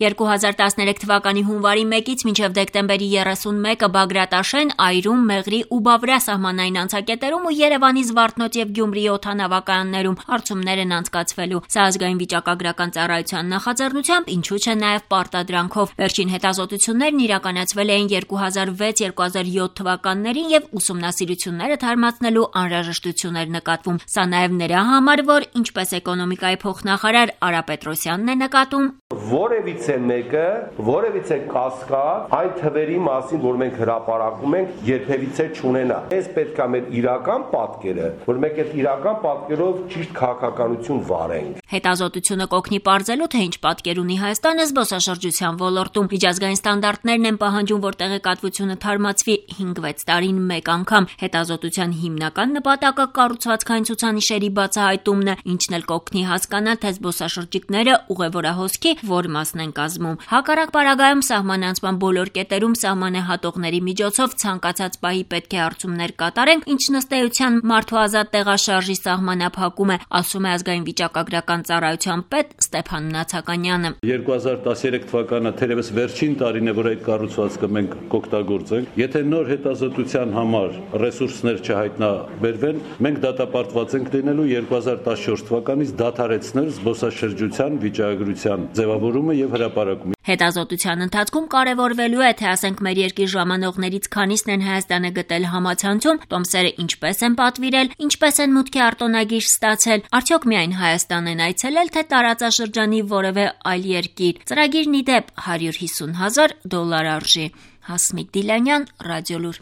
2013 թվականի հունվարի 1-ից մինչև դեկտեմբերի 31-ը Բագրատաշեն, Այրում, Մեղրի ու Բավրա սահմանային անցակետերում ու Երևանի Զվարթնոտ և Գյումրիի օդանավակայաններում հարցումներ են անցկացվելու։ Սա ազգային վիճակագրական ծառայության նախաձեռնությամբ, ինչու չէ նաև պարտադրանքով։ Վերջին հետազոտություններն իրականացվել էին 2006-2007 թվականներին և ուսումնասիրությունները թարմացնելու անհրաժեշտություն էր նկատվում։ Սա նաև նրա համար, որ ինչպես էկոնոմիկայի փոխնախարար Արա Պետրոսյանն է նկատում, որևիցե մեկը, որևիցե կասկած այն թվերի մասին, որ մենք հրապարակում ենք, երբևիցե չունենա։ Այս պետք է մեր իրական պատկերը, որ մենք այդ իրական պատկերով ճիշտ քաղաքականություն վարենք։ Հետազոտությունը կօգնի պարզելու, թե ինչ պատկեր ունի Հայաստանը զբոսաշրջության ոլորտում։ Միջազգային ստանդարտներն են պահանջում, որ տեղեկատվությունը թարմացվի 5-6 տարին մեկ անգամ։ Հետազոտության հիմնական նպատակը կառուցվածքային ցուցանիշերի բացահայտումն է, ինչն էլ կօգնի հասկանալ, թե զբոսաշրջիկները ուղևորահոսքի որ մասն են կազմում։ Հակառակ պարագայում սահմանանցման բոլոր կետերում սահմանը հատողների միջոցով ցանկացած պահի պետք է հարցումներ կատարենք, ինչ ըստ էության մարդու ազատ տեղաշարժի սահմանափակում է, ասում է ազգային վիճակագրական ծառայության պետ Ստեփան Նացականյանը։ 2013 թվականը թերևս վերջին տարին է, որ այդ կառուցվածքը մենք կօգտագործենք։ Եթե նոր հետազոտության համար ռեսուրսներ չհայտնաբերվեն, մենք դատապարտված ենք լինելու 2014 թվականից դադարեցնել զբոսաշրջության վիճակագրության ձևավորումը եւ հրապարակումը։ Հետազոտության ընթացքում կարևորվելու է, թե ասենք մեր երկիր ժամանողներից քանիսն են Հայաստանը գտել համացանցում, տոմսերը ինչպես են պատվիրել, ինչպես են մուտքի արտոնագիր ստացել, արդյոք միայն Հայաստան են այցելել, թե տարածաշրջանի որևէ այլ երկիր։ Ծրագիրն ի դեպ $150,000 արժի։ Հասմիկ Դիլանյան, Ռադիոլուր։